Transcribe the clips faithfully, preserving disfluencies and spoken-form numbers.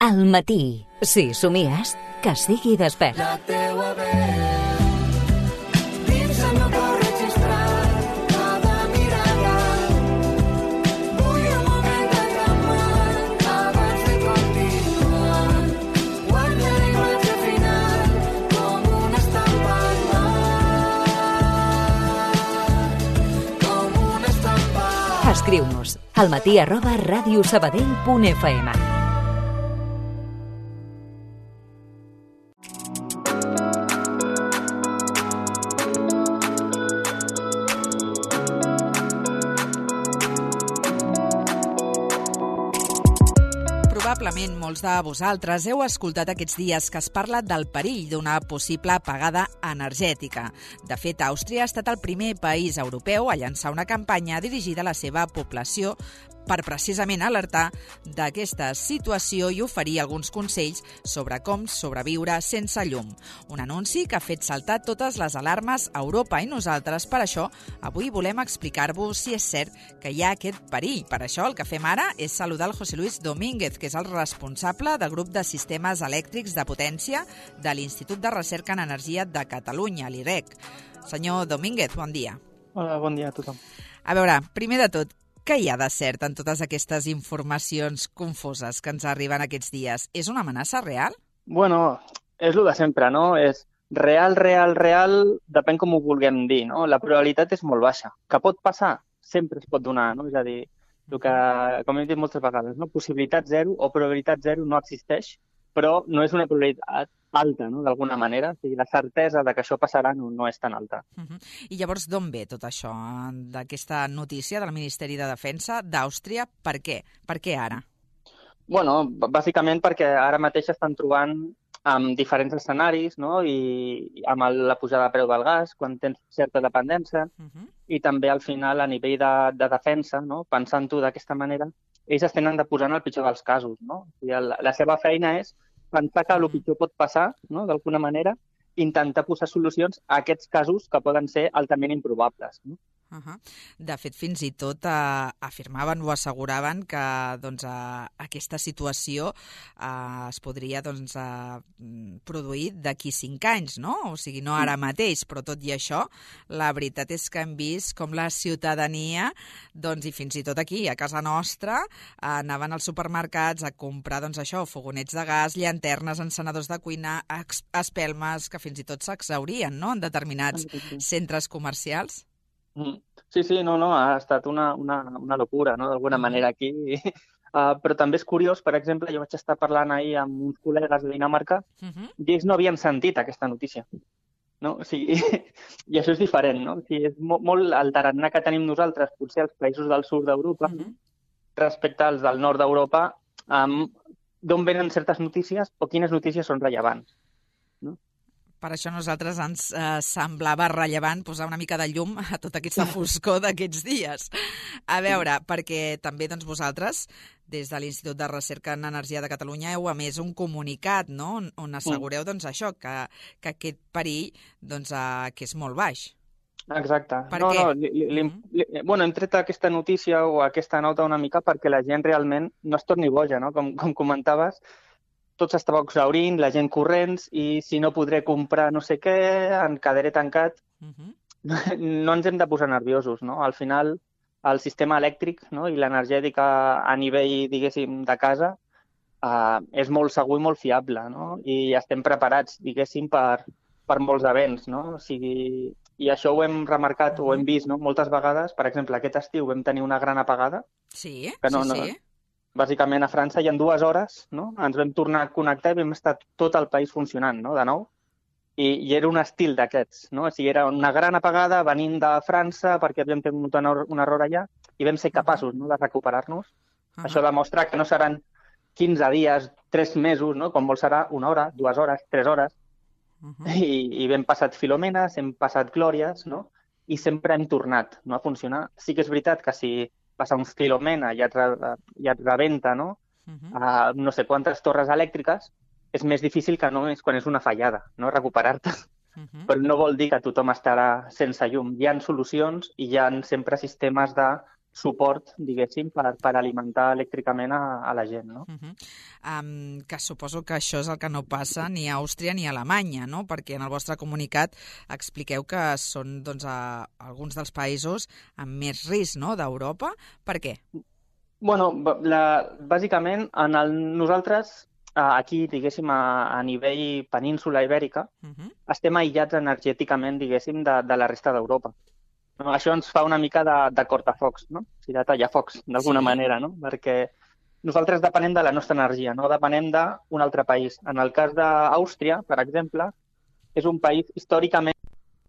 Al matí, si somies, que sigui despert. La teua veu dins el meu cor registrat, cada mirada. Vull un moment de calmar abans de continuar. Guarda la imatge final com una estampa al mar, com una estampa. Escriu-nos al matí arroba radiosabadell punt f m. Probablement molts de vosaltres heu escoltat aquests dies que es parla del perill d'una possible apagada energètica. De fet, Àustria ha estat el primer país europeu a llançar una campanya dirigida a la seva població per precisament alertar d'aquesta situació i oferir alguns consells sobre com sobreviure sense llum. Un anunci que ha fet saltar totes les alarmes a Europa i nosaltres, per això, avui volem explicar-vos si és cert que hi ha aquest perill. Per això el que fem ara és saludar el José Luis Domínguez, que és el responsable del grup de sistemes elèctrics de potència de l'Institut de Recerca en Energia de Catalunya, l'I R E C. Senyor Domínguez, bon dia. Hola, bon dia a tothom. A veure, primer de tot, què hi ha de cert en totes aquestes informacions confoses que ens arriben aquests dies? És una amenaça real? Bueno, és el de sempre, no? És real, real, real, depèn com ho vulguem dir, no? La probabilitat és molt baixa. Que pot passar? Sempre es pot donar, no? És a dir, el que, com hem dit moltes vegades, no? Possibilitat zero o probabilitat zero no existeix, però no és una probabilitat alta, no?, d'alguna manera. O sigui, la certesa de que això passarà no, no és tan alta. Uh-huh. I llavors d'on ve tot això, d'aquesta notícia del Ministeri de Defensa d'Àustria? Per què? Per què ara? Bueno, bàsicament perquè ara mateix estan trobant amb diferents escenaris, no?, i amb el, la pujada de preu del gas, quan tens certa dependència, uh-huh. i també al final a nivell de, de defensa, no?, pensant-ho d'aquesta manera, ells es tenen de posar en el pitjor dels casos, no? O sigui, la, la seva feina és pensar que el pitjor pot passar, no?, d'alguna manera, intentar posar solucions a aquests casos que poden ser altament improbables, no? Uh-huh. De fet, fins i tot eh, afirmaven o asseguraven que doncs, eh, aquesta situació eh, es podria doncs, eh, produir d'aquí cinc anys, no? O sigui, no ara mateix, però tot i això, la veritat és que hem vist com la ciutadania, doncs, i fins i tot aquí, a casa nostra, eh, anaven als supermercats a comprar doncs, això, fogonets de gas, llanternes, encenedors de cuina, espelmes, que fins i tot s'exhaurien, no?, en determinats centres comercials. Sí, sí, no, no, ha estat una, una, una locura, no?, d'alguna manera aquí. Uh, però també és curiós, per exemple, jo vaig estar parlant ahir amb uns col·legues de Dinamarca uh-huh. i ells no havien sentit aquesta notícia, no? O sigui, i això és diferent, no? O sigui, és molt, molt el tarannà que tenim nosaltres, potser als països del sud d'Europa, uh-huh. respecte als del nord d'Europa, um, d'on venen certes notícies o quines notícies són rellevants. Per això a nosaltres ens eh, semblava rellevant posar una mica de llum a tota aquesta foscor d'aquests dies. A veure, perquè també doncs, vosaltres, des de l'Institut de Recerca en Energia de Catalunya, heu emès un comunicat, no?, on, on assegureu doncs, això, que, que aquest perill doncs, eh, que és molt baix. Exacte. Per no, què? No, li, li, li, bueno, hem tret aquesta notícia o aquesta nota una mica perquè la gent realment no es torni boja, no? Com, com comentaves, tot s'estava exhaurint, la gent corrents, i si no podré comprar no sé què, em quedaré tancat. Uh-huh. No ens hem de posar nerviosos, no? Al final, el sistema elèctric, no?, i l'energètica a nivell, diguéssim, de casa uh, és molt segur i molt fiable, no? I estem preparats, diguéssim, per, per molts events, no? O sigui, i això ho hem remarcat uh-huh. o hem vist, no?, moltes vegades. Per exemple, aquest estiu vam tenir una gran apagada. Sí, que no, sí, sí. No, bàsicament a França, i en dues hores, no?, ens vam tornar a connectar i vam estar tot el país funcionant, no?, de nou. I, i era un estil d'aquests, no? O sigui, era una gran apagada venint de França perquè havíem tingut un error allà i vam ser capaços, no?, de recuperar-nos. Uh-huh. Això demostra que no seran quinze dies, tres mesos, no?, com vol serà una hora, dues hores, tres hores. Uh-huh. I, i hem passat filomenes, hem passat glòries, no?, i sempre hem tornat, no?, a funcionar. Sí que és veritat que si passa un filomena i et, re, i et rebenta, no?, uh-huh. uh, no sé quantes torres elèctriques, és més difícil que no és quan és una fallada, no?, recuperar-te. Uh-huh. Però no vol dir que tothom estarà sense llum. Hi ha solucions i hi ha sempre sistemes de suport, diguéssim, per, per alimentar elèctricament a, a la gent, no? Uh -huh. um, que suposo que això és el que no passa ni a Àustria ni a Alemanya, no? Perquè en el vostre comunicat expliqueu que són doncs, a, alguns dels països amb més risc, no?, d'Europa. Per què? Bueno, la, bàsicament, en el, nosaltres, aquí, diguéssim, a, a nivell península ibèrica, Uh -huh. estem aïllats energèticament, diguéssim, de, de la resta d'Europa. No, això ens fa una mica de, de cortafocs, no? O sigui, de tallafocs, d'alguna Sí. manera, no? Perquè nosaltres depenem de la nostra energia, no depenem d'un altre país. En el cas d'Àustria, per exemple, és un país històricament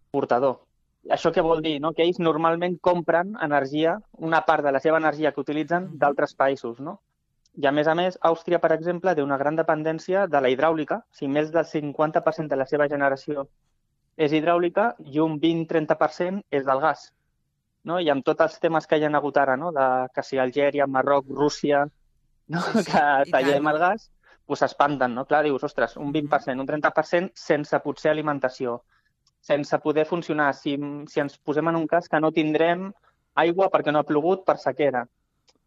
exportador. Això què vol dir? No? Que ells normalment compren energia, una part de la seva energia que utilitzen d'altres països, no? I a més a més, Àustria, per exemple, té una gran dependència de la hidràulica. O sigui, més del cinquanta per cent de la seva generació és hidràulica i un vint-trenta per cent és del gas. No? I amb tots els temes que hi ha hagut ara, no? De que si Algèria, Marroc, Rússia, no? Sí, sí, que i tallem tant. el gas, doncs s'espanten, no? Clar, dius, ostres, un vint per cent, un trenta per cent sense potser alimentació, sense poder funcionar. Si, si ens posem en un cas que no tindrem aigua perquè no ha plogut per sequera,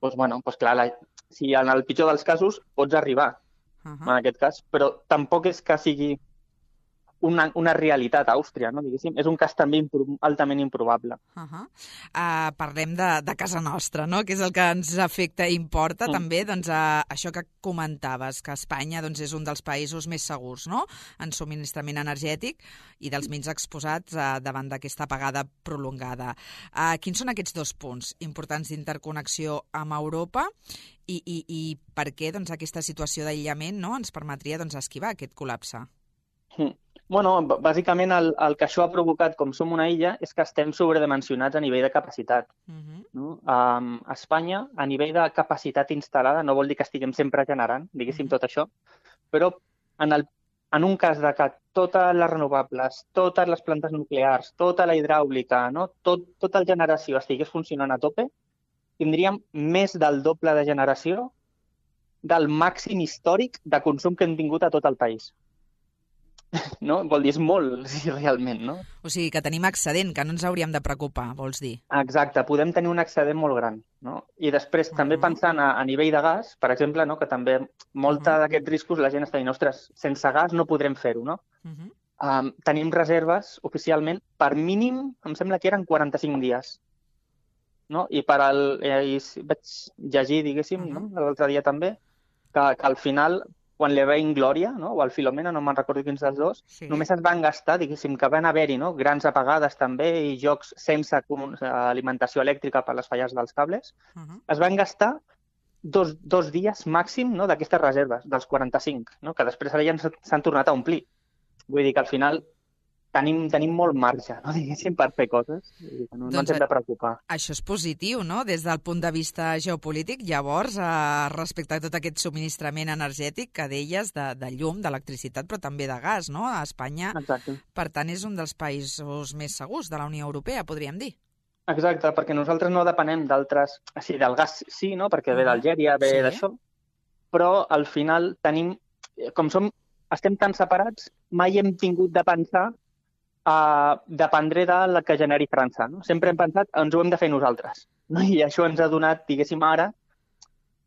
doncs, bueno, doncs clar, la, si en el pitjor dels casos pots arribar, Uh en -huh. aquest cas, però tampoc és que sigui una, una realitat a Àustria, no? Diguéssim, és un cas també impro altament improbable. Uh -huh. uh, parlem de, de casa nostra, no?, que és el que ens afecta i importa, Mm. també, doncs, uh, això que comentaves, que Espanya doncs, és un dels països més segurs, no?, en subministrament energètic i dels menys exposats uh, davant d'aquesta apagada prolongada. Uh, quins són aquests dos punts importants d'interconnexió amb Europa i, i, i per què doncs, aquesta situació d'aïllament, no?, ens permetria doncs, esquivar aquest col·lapse? Mm. Bueno, b- bàsicament el, el que això ha provocat, com som una illa, és que estem sobredimensionats a nivell de capacitat. Uh -huh. No? Um, a Espanya, a nivell de capacitat instal·lada, no vol dir que estiguem sempre generant, diguéssim, Mhm. tot això, però en, el, en un cas de que totes les renovables, totes les plantes nuclears, tota la hidràulica, no? tot, tota la generació estigués funcionant a tope, tindríem més del doble de generació del màxim històric de consum que hem tingut a tot el país. No? Vol dir, és molt, sí, realment, no? O sigui, que tenim excedent, que no ens hauríem de preocupar, vols dir? Exacte, podem tenir un excedent molt gran, no? I després, uh -huh. també pensant a, a nivell de gas, per exemple, no? Que també molta uh -huh. d'aquests riscos la gent està dient, ostres, sense gas no podrem fer-ho, no? Uh -huh. Um, tenim reserves, oficialment, per mínim, em sembla que eren quaranta-cinc dies, no? I per al, eh, i vaig llegir, diguéssim, uh -huh. no? L'altre dia també, que, que al final, quan li veien Glòria, no? O el Filomena, no me'n recordo quins dels dos, Sí. només es van gastar, diguéssim, que van haver-hi, no? Grans apagades també i jocs sense com- alimentació elèctrica per les falles dels cables. Uh -huh. Es van gastar dos, dos dies màxim, no? D'aquestes reserves, dels quaranta-cinc, no? Que després ara ja ens- s'han tornat a omplir. Vull dir que al final tenim, tenim molt marge, no? Diguéssim, per fer coses. Vull dir que no, no Doncs, ens hem de preocupar. Això és positiu, no?, des del punt de vista geopolític. Llavors, eh, respecte a tot aquest subministrament energètic que deies de, de llum, d'electricitat, però també de gas, no? A Espanya, Exacte. per tant, és un dels països més segurs de la Unió Europea, podríem dir. Exacte, perquè nosaltres no depenem d'altres... O sigui, del gas sí, no? Perquè ve Mhm. d'Algèria, ve Sí. d'això, però al final tenim... Com som, estem tan separats, mai hem tingut de pensar a dependré de la que generi França, no? Sempre hem pensat ens ho hem de fer nosaltres, no? I això ens ha donat, diguéssim, ara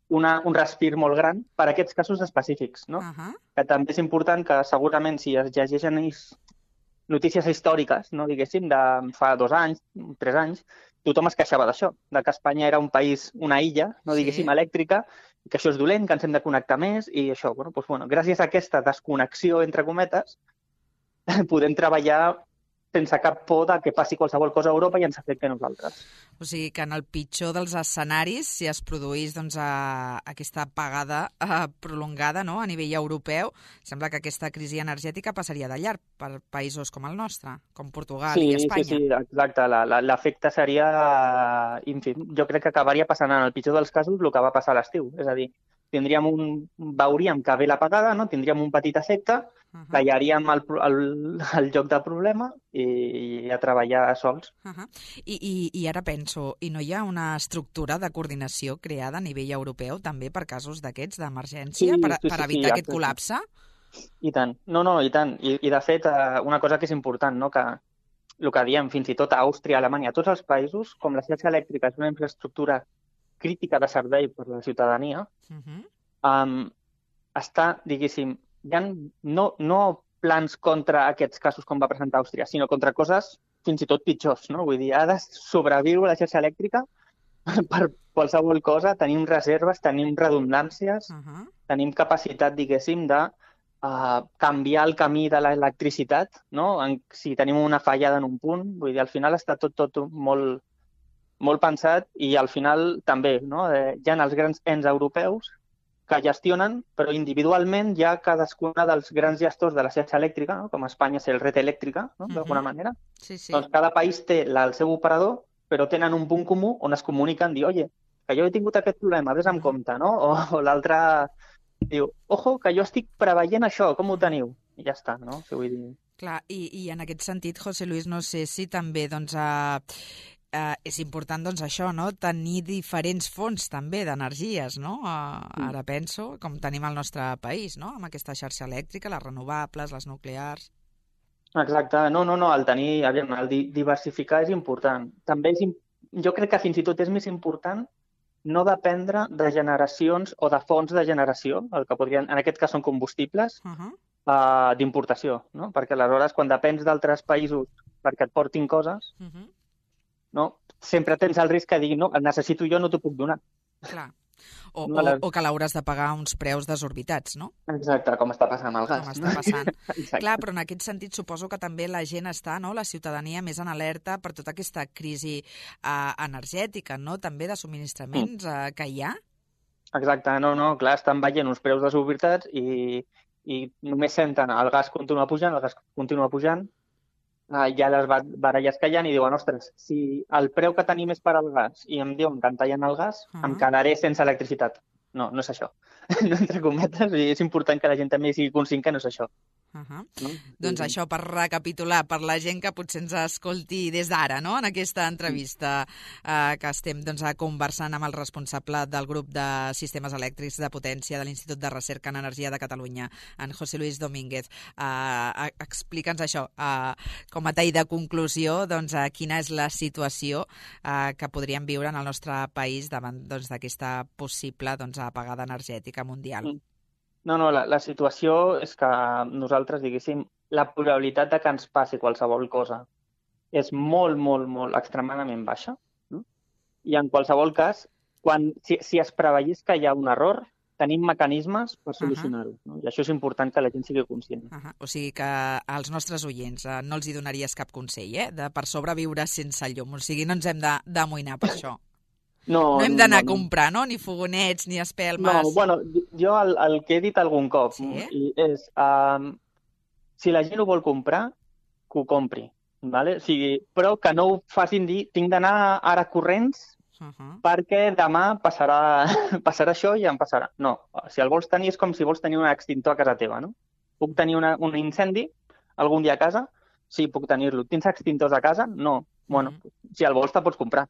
una, un respir molt gran per a aquests casos específics, no? Uh -huh. Que també és important que segurament si es llegeixen is- notícies històriques, no, diguéssim, de fa dos anys, tres anys, tothom es queixava d'això, de que Espanya era un país, una illa, no, Sí. diguéssim, elèctrica, que això és dolent, que ens hem de connectar més, i això, bueno, doncs, bueno, gràcies a aquesta desconnexió, entre cometes, podem treballar sense cap por de que passi qualsevol cosa a Europa i ens afecti a nosaltres. O sigui que en el pitjor dels escenaris, si es produís doncs, a, aquesta apagada eh, prolongada, no?, a nivell europeu, sembla que aquesta crisi energètica passaria de llarg per països com el nostre, com Portugal Sí, i Espanya. sí, sí, exacte. La- la- L'efecte seria ínfim. Jo crec que acabaria passant en el pitjor dels casos el que va passar a l'estiu. És a dir, tindríem un, veuríem que ve l'apagada, no? Tindríem un petit efecte, Uh -huh. tallaríem el, pro- el, el lloc del problema i, i a treballar sols. Uh -huh. I, i, I ara penso, i no hi ha una estructura de coordinació creada a nivell europeu també per casos d'aquests d'emergència, Sí, per, sí, per sí, evitar sí, aquest exacte. col·lapse? I tant. No, no, i tant. I, i de fet, eh, una cosa que és important, no? Que el que diem, fins i tot a Àustria, Alemanya, tots els països, com la xarxa elèctrica és una infraestructura crítica de servei per la ciutadania, Uh -huh. um, està, diguéssim, hi ha no, no plans contra aquests casos com va presentar Àustria, sinó contra coses fins i tot pitjors, no? Vull dir, ha de sobreviure la xarxa elèctrica per qualsevol cosa, tenim reserves, tenim redundàncies, Uh -huh. tenim capacitat, diguéssim, de uh, canviar el camí de l'electricitat, no? En, si tenim una fallada en un punt, vull dir, al final està tot, tot molt, molt pensat i al final també, no? Eh, hi ha els grans ens europeus que gestionen, però individualment hi ha cadascuna dels grans gestors de la xarxa elèctrica, no? Com a Espanya és el Red Elèctrica, no? D'alguna Uh-huh. manera. Sí, sí. Doncs cada país té la, el seu operador, però tenen un punt comú on es comuniquen, dir, oye, que jo he tingut aquest problema, vés amb Uh-huh. compte, no? O, o l'altre diu, ojo, que jo estic preveient això, com ho teniu? I ja està, no? O sigui, vull dir... Clar, i, i en aquest sentit, José Luis, no sé si també doncs, eh, eh, és important doncs, això, no? Tenir diferents fonts també d'energies, no? Eh, ara penso, com tenim al nostre país, no? Amb aquesta xarxa elèctrica, les renovables, les nuclears... Exacte, no, no, no, el tenir, aviam, el di- diversificar és important. També és, im- jo crec que fins i tot és més important no dependre de generacions o de fonts de generació, el que podrien, en aquest cas són combustibles, Uh -huh. uh, d'importació, no? Perquè aleshores quan depens d'altres països perquè et portin coses, Uh -huh. no? Sempre tens el risc que diguin, no, el necessito jo, no t'ho puc donar. Clar. O, No, o, la- o que l'hauràs de pagar uns preus desorbitats, no? Exacte, com està passant amb el gas. Com està no? passant. Exacte. Clar, però en aquest sentit suposo que també la gent està, no?, la ciutadania més en alerta per tota aquesta crisi eh, energètica, no?, també de subministraments eh, que hi ha. Exacte, no, no, clar, estan veient uns preus desorbitats i, i només senten el gas continua pujant, el gas continua pujant, eh, hi ha les ba- baralles que hi ha i diuen, ostres, si el preu que tenim és per al gas i em diuen que em tallen el gas, Ah. em quedaré sense electricitat. No, no és això. No, entre cometes, i és important que la gent també sigui conscient que no és això. Uh -huh. No? Doncs I- això, per recapitular, per la gent que potser ens escolti des d'ara, no?, en aquesta entrevista eh, que estem doncs, conversant amb el responsable del grup de sistemes elèctrics de potència de l'Institut de Recerca en Energia de Catalunya, en José Luis Domínguez. Eh, explica'ns això, eh, com a tall de conclusió, doncs, eh, quina és la situació eh, que podríem viure en el nostre país davant doncs, d'aquesta possible doncs, apagada energètica mundial. Mm. No, no, la, la situació és que nosaltres, diguéssim, la probabilitat de que ens passi qualsevol cosa és molt, molt, molt extremadament baixa. No? I en qualsevol cas, quan, si, si es preveiés que hi ha un error, tenim mecanismes per solucionar-ho. No? I això és important que la gent sigui conscient. Uh -huh. O sigui que als nostres oients eh, no els hi donaries cap consell, eh?, de per sobreviure sense llum. O sigui, no ens hem de- d'amoïnar per això. No, No hem d'anar no, a no. comprar, no?, ni fogonets, ni espelmes. No, bueno, jo el, el que he dit algun cop Sí? i és, um, si la gent ho vol comprar, que ho compri, vale? O sigui, però que no ho facin dir, tinc d'anar ara corrents Uh -huh. perquè demà passarà, passarà això i em passarà. No, si el vols tenir és com si vols tenir un extintor a casa teva, no? Puc tenir una, un incendi algun dia a casa? Sí, puc tenir-lo. Tens extintors a casa? No. Bueno, si el vols te pots comprar.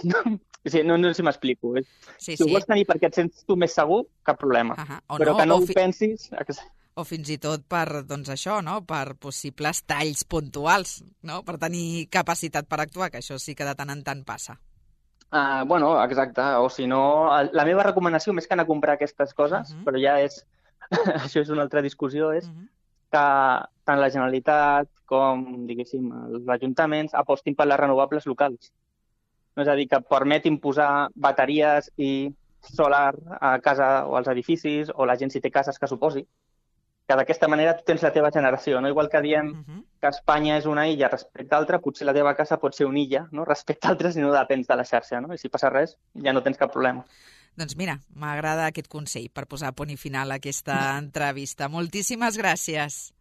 No, o sigui, no, no sé si m'explico. eh? Sí, Si ho sí. vols tenir perquè et sents tu més segur, cap problema. Uh -huh. O Però no, que no o ho fi- pensis... O fins i tot per, doncs això, no?, per possibles talls puntuals, no?, per tenir capacitat per actuar, que això sí que de tant en tant passa. Uh, bueno, exacte. O si no, el- la meva recomanació, més que anar a comprar aquestes coses, Mhm. però ja és... això és una altra discussió, és Uh -huh. que tant la Generalitat com, diguéssim, els ajuntaments apostin per les renovables locals. No, és a dir, que permetin posar bateries i solar a casa o als edificis, o la gent si té cases que s'ho posi, que d'aquesta manera tu tens la teva generació, no? Igual que diem Uh -huh. que Espanya és una illa respecte a altra, potser la teva casa pot ser una illa, no? Respecte a altres i no depens de la xarxa, no? I si passa res, ja no tens cap problema. Doncs mira, m'agrada aquest consell per posar punt i final a aquesta entrevista. Moltíssimes gràcies.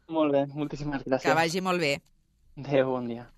Molt bé, moltíssimes gràcies. Que vagi molt bé. Adéu, bon dia.